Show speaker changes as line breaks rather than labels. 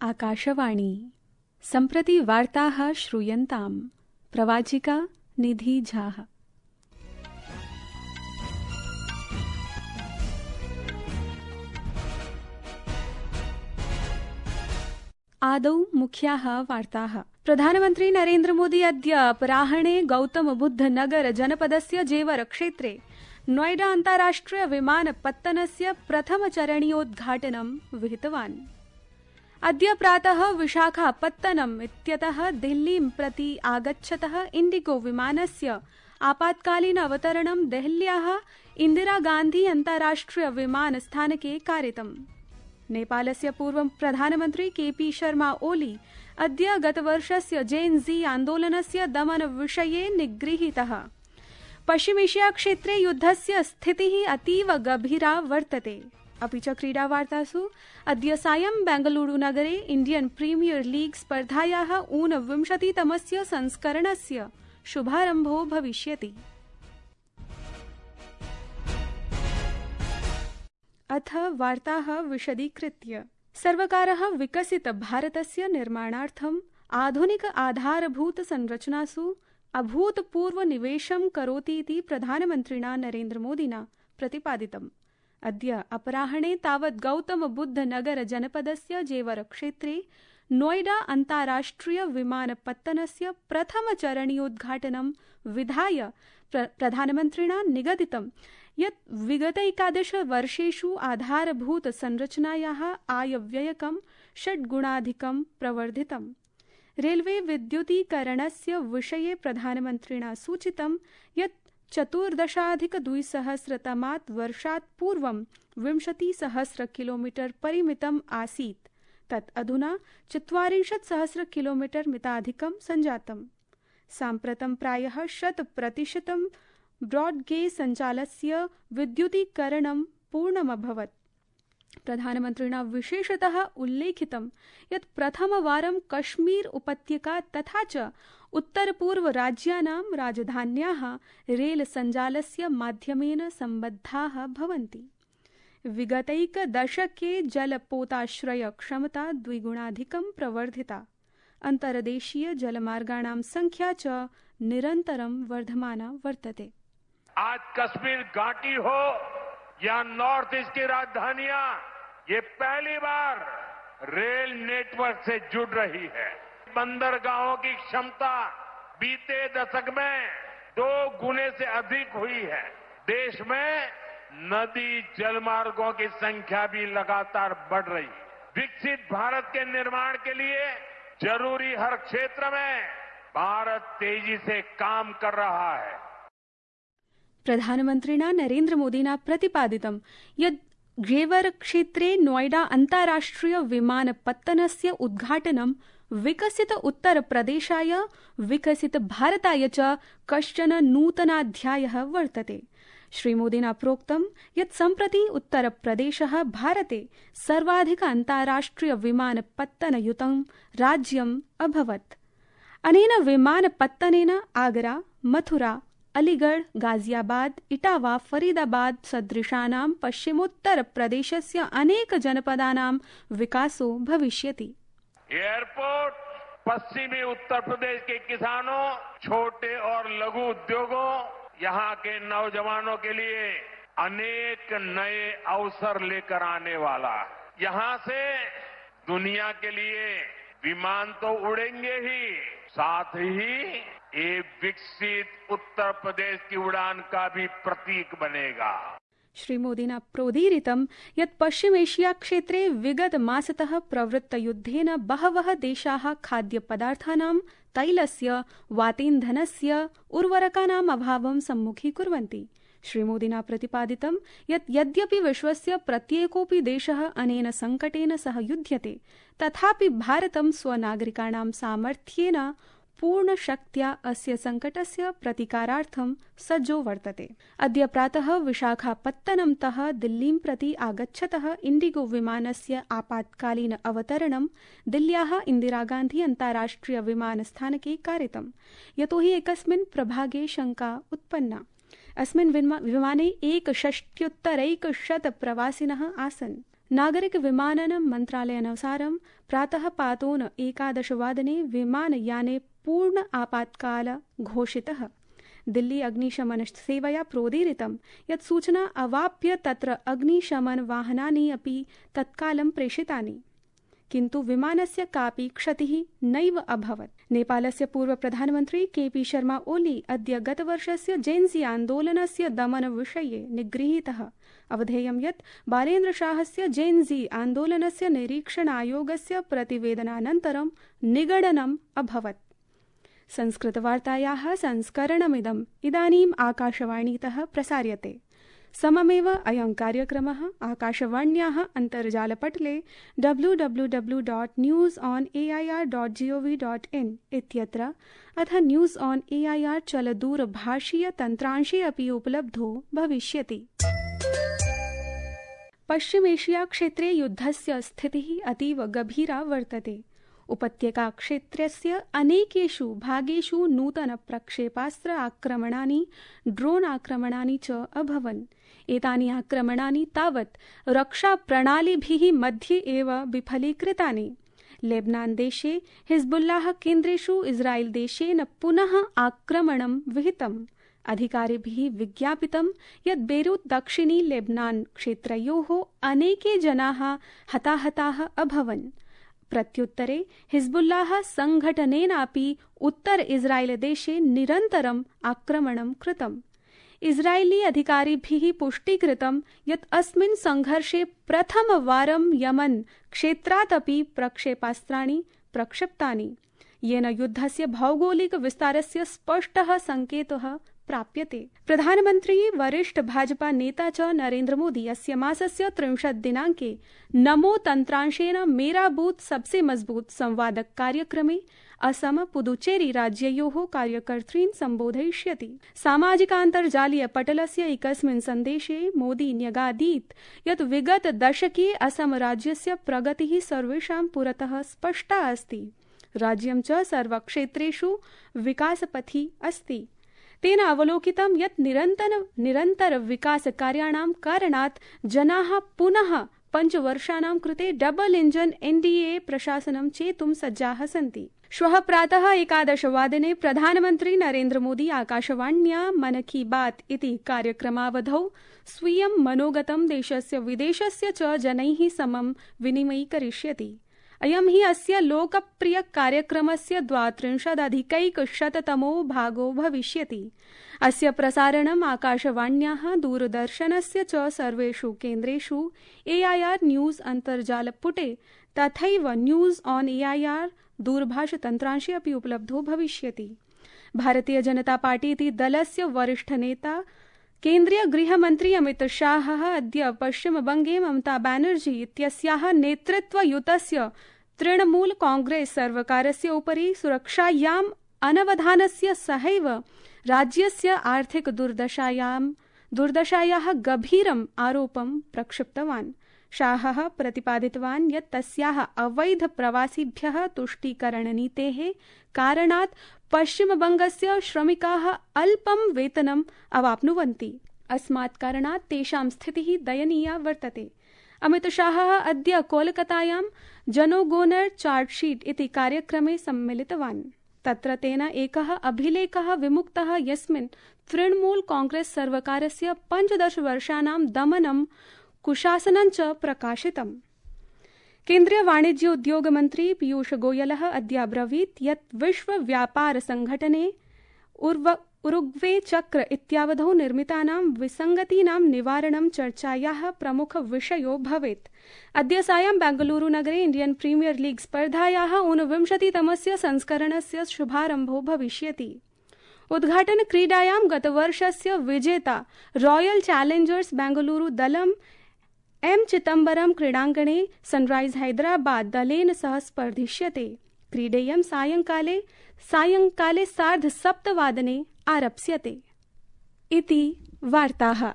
आकाशवाणी सम्प्रति वार्ताः श्रूयन्ताम्। प्रवाचिका निधि झा। आदौ मुख्याः वार्ताः। प्रधानमन्त्री नरेन्द्र मोदी अद्य अपराह्णे गौतम बुद्ध नगर जनपदस्य जेवर क्षेत्रे नोएडा अन्ताराष्ट्रिय विमानपत्तनस्य प्रथमचरणीयोद्घाटनं विहितवान्। अद्य प्रातः विशाखापत्तनम् इत्यतः दिल्लीं प्रति आगच्छतः इण्डिगो विमानस्य आपात्कालीन अवतरणं देहल्याः इन्दिरा गान्धी अन्ताराष्ट्रिय विमानस्थानके कारितम्। नेपालस्य पूर्व प्रधानमन्त्री केपी शर्मा ओली अद्य गतवर्षस्य जेन जी आन्दोलनस्य दमनविषये निगृहीतः। पश्चिमेशिया क्षेत्रे युद्धस्य स्थितिः अतीव गभीरा वर्तते। अपि च क्रीडावार्तासु अद्य सायं बेंगलुरुनगरे इण्डियन् प्रीमियर लीग स्पर्धायाः ऊनविंशतितमस्य संस्करणस्य शुभारम्भो भविष्यति। अथ वार्ताः विशदीकृत्य। सर्वकारः विकसित भारतस्य निर्माणार्थम् आधुनिक आधारभूत संरचनासु अभूतपूर्व निवेशं करोतीति प्रधानमन्त्रिणा नरेन्द्र मोदिना प्रतिपादितम्। अद्य अपराह्णे तावत् गौतम बुद्ध नगर जनपदस्य जेवर क्षेत्रे नोएडा अन्ताराष्ट्रिय विमानपत्तनस्य प्रथमचरणीयोद्घाटनं विधाय प्रधानमन्त्रिणा निगदितं यत् विगत 11 वर्षेषु आधारभूत संरचनायाः आयव्ययकं 6 गुणाधिकं प्रवर्धितम्। रेलवे विद्युतीकरणस्य विषये प्रधानमन्त्रिणा सूचितं यत् 14,200 वर्षात् पूर्वं 20,000 किलोमीटर परिमितम् आसीत्, तत् अधुना 40,000 किलोमीटर मिताधिकं सञ्जातम्। साम्प्रतं प्रायः 100% ब्रॉडगेज सञ्चालस्य विद्युतीकरणं पूर्णमभवत्। प्रधानमन्त्रिणा विशेषतः उल्लेखितं यत् प्रथमवारं कश्मीर उपत्यका तथा च उत्तरपूर्व राज्यानां राजधान्याः रेल सञ्जालस्य माध्यमेन सम्बद्धाः भवन्ति। विगतैकदशके जलपोताश्रय क्षमता द्विगुणाधिकं प्रवर्धिता। अन्तर्देशीय जलमार्गाणां संख्या च निरन्तरं वर्धमाना वर्तते।
आज कश्मीर घाटी हो या नॉर्थ ईस्ट की राजधानियां, ये पहली बार रेल नेटवर्क से जुड़ रही है। बंदरगाहों की क्षमता बीते दशक में 2 गुने से अधिक हुई है। देश में नदी जलमार्गों की संख्या भी लगातार बढ़ रही है। विकसित भारत के निर्माण के लिए जरूरी हर क्षेत्र में भारत तेजी से काम कर रहा है।
प्रधानमन्त्रिणा नरेन्द्र मोदिना प्रतिपादितं यत् जेवर क्षेत्रे नोएडा अन्ताराष्ट्रिय विमानपत्तनस्य उद्घाटनं विकसित उत्तरप्रदेशाय विकसित भारताय च कश्चन नूतनाध्यायः वर्तते। श्रीमोदिना प्रोक्तं यत् सम्प्रति उत्तरप्रदेशः भारते सर्वाधिक अन्ताराष्ट्रिय विमानपत्तनयुतं राज्यम् अभवत्। अनेन विमानपत्तनेन आगरा, मथुरा, अलीगढ़, गाजियाबाद, इटावा, फरीदाबाद सदृशानां पश्चिमोत्तरप्रदेशस्य अनेक जनपदानां विकासो भविष्यति।
एयरपोर्ट पश्चिमी उत्तर प्रदेश के किसानों, छोटे और लघु उद्योगों, यहाँ के नौजवानों के लिए अनेक नए अवसर लेकर आने वाला है। यहाँ से दुनिया के लिए विमान तो उड़ेंगे ही, साथ ही एक विकसित उत्तर प्रदेश की उड़ान का भी प्रतीक बनेगा।
श्रीमोदिना प्रोदीरितं यत् पश्चिमेशिया क्षेत्रे विगत मासतः प्रवृत्तयुद्धेन बहवः देशाः खाद्यपदार्थानां, तैलस्य, वातेन्धनस्य, उर्वरकानाम् अभावं सम्मुखीकुर्वन्ति। श्रीमोदिना प्रतिपादितं यत् यद्यपि विश्वस्य प्रत्येकोऽपि देशः अनेन संकटेन सह युध्यते, तथापि भारतं स्वनागरिकाणां सामर्थ्येन पूर्णशक्त्या अस्य संकटस्य प्रतिकारार्थं सज्जो वर्तते। अद्य प्रातः विशाखापत्तनमतः दिल्लीं प्रति आगच्छतः इण्डिगो विमानस्य आपात्कालीन अवतरणं दिल्ल्याः इन्दिरा गान्धी अन्ताराष्ट्रिय विमानस्थानके कारितम्, यतोहि एकस्मिन् प्रभागे शङ्का उत्पन्ना। अस्मिन् विमाने 1,60,100 प्रवासिनः आसन्। नागरिक विमानन मन्त्रालयानुसारं प्रातः पातोन 11 वादने विमानयाने पूर्ण आपातकाल घोषितः। दिल्ली अग्निशमन सेवया प्रोदीरितं यत् सूचना अवाप्य तत्र अग्निशमन वाहनानि अपि तत्कालं प्रेषितानि, किन्तु विमानस्य कापि क्षतिः नैव अभवत्। नेपालस्य पूर्व प्रधानमन्त्री केपी शर्मा ओली अद्य गतवर्षस्य जेन्जी आन्दोलनस्य दमनविषये निगृहीतः। अवधेयं यत् बालेन्द्रशाहस्य जेन्जी आन्दोलनस्य निरीक्षणायोगस्य प्रतिवेदनानन्तरं निगडनम् अभवत्। संस्कृतवार्तायाः संस्करणमिदम् इदानीम् आकाशवाणीतः प्रसार्यते। सममेव अयं कार्यक्रमः आकाशवाण्याः अन्तर्जालपटले www.newsonair.gov.in इत्यत्र अथ न्यूज़ ऑन एआईआर चलदूरभाषीय तन्त्रांशे अपि उपलब्धो भविष्यति। पश्चिमेशिया क्षेत्रे युद्धस्य स्थितिः अतीव गभीरा वर्तते। उपत्यका क्षेत्रस्य अनेकेषु भागेषु नूतन प्रक्षेपास्त्र आक्रमणानि, ड्रोन आक्रमणानि च अभवन्। एतानि आक्रमणानि तावत् रक्षाप्रणालीभिः मध्ये एव विफलीकृतानि। लेबनान देशे हिजबुल्लाह केन्द्रेषु इस्राएल देशेन पुनः आक्रमणं विहितम्। अधिकारिभिः विज्ञापितं यत् बेरूत दक्षिणी लेबनान क्षेत्रयोः अनेके जनाः हताहताः अभवन्। प्रत्युत्तरे हिजबुल्लाह संघटनेनापि उत्तर इस्राएल देशे निरन्तरम् आक्रमणं कृतम्। इस्राएली अधिकारिभिः पुष्टीकृतं यत् अस्मिन् संघर्षे प्रथमवारं यमन क्षेत्रात् अपि प्रक्षेपास्त्राणि प्रक्षिप्तानि, येन युद्धस्य भौगोलिक विस्तारस्य स्पष्टः संकेतः प्राप्यते। प्रधानमन्त्री वरिष्ठ भाजपा नेता च नरेन्द्र मोदी अस्य मासस्य 30 दिनाङ्के नमो तन्त्रांशेन मेरा बूथ सबसे मजबूत संवाद कार्यक्रमे असम पुदुचेरी राज्ययोः कार्यकर्तॄन् सम्बोधयिष्यति। सामाजिकान्तर्जालीय पटलस्य एकस्मिन् सन्देशे मोदी न्यगादीत् यत् विगत दशके असम राज्यस्य प्रगतिः सर्वेषां पुरतः स्पष्टा अस्ति। राज्यं च सर्वक्षेत्रेषु विकासपथि अस्ति। तेन अवलोकितं यत् निरन्तर विकासकार्याणां कारणात् जनाः पुनः 5 वर्षाणां कृते डबल इंजन एनडीए प्रशासनं चेतुं सज्जाः सन्ति। श्वः प्रातः 11 वादने प्रधानमन्त्री नरेन्द्र मोदी आकाशवाण्या मन की बात इति कार्यक्रमावधौ स्वीयं मनोगतं देशस्य विदेशस्य च जनैः समं विनिमयीकरिष्यति। अयं हि अस्य लोकप्रिय कार्यक्रमस्य 32अधिकैकशततमो भागो भविष्यति। अस्य प्रसारणम् आकाशवाण्याः दूरदर्शनस्य च सर्वेषु केन्द्रेषु एआईआर न्यूज़ अन्तर्जालपुटे तथैव न्यूज़ ऑन एआईआर दूरभाषतन्त्रांशे अपि उपलब्धो भविष्यति। भारतीय जनता पार्टी इति दलस्य वरिष्ठ नेता केन्द्रीय गृहमन्त्री अमित शाहः अद्य पश्चिमबंगे ममता बैनर्जी इत्यस्याः नेतृत्वयुतस्य तृणमूल कांग्रेस सर्वकारस्य उपरि सुरक्षायाम् अनवधानस्य सहैव राज्यस्य आर्थिक दुर्दशायाः गभीरम् आरोपं प्रक्षिप्तवान्। शाहः प्रतिपादितवान् यत् तस्याः अवैध प्रवासिभ्यः तुष्टीकरणनीतेः कारणात् पश्चिमबंगस्य श्रमिकाः अल्पं वेतनम् अवाप्नुवन्ति। अस्मात् कारणात् तेषां स्थितिः दयनीया वर्तते। अमित शाहः अद्य कोलकातायां जनोगोनर चार्टशीट इति कार्यक्रमे सम्मिलितवान्। तत्र तेन एकः अभिलेखः विमुक्तः यस्मिन् तृणमूल कांग्रेस सर्वकारस्य 15 वर्षाणां दमनं कुशासनं च प्रकाशितम्। केन्द्रीय वाणिज्य उद्योग मन्त्री पीयूष गोयलः अद्य अब्रवीत् यत् विश्व व्यापार संघटने उरुग्वे चक्र इत्यावधौ निर्मितानां विसङ्गतीनां निवारणं चर्चायाः प्रमुख विषयो भवेत्। अद्य सायं बेंगलुरु नगरे इंडियन प्रीमियर लीग स्पर्धायाः 49तमस्य संस्करणस्य शुभारम्भो भविष्यति। उद्घाटन क्रीडायां गतवर्षस्य विजेता रॉयल चैलेंजर्स बेंगलुरु दलम् एम चिदम्बरम क्रीडाङ्गणे सनराइज हैदराबाद दलेन सह स्पर्धिष्यते। क्रीडेयं सायंकाले 7:30 आरप्स्यते। इति वार्ताः।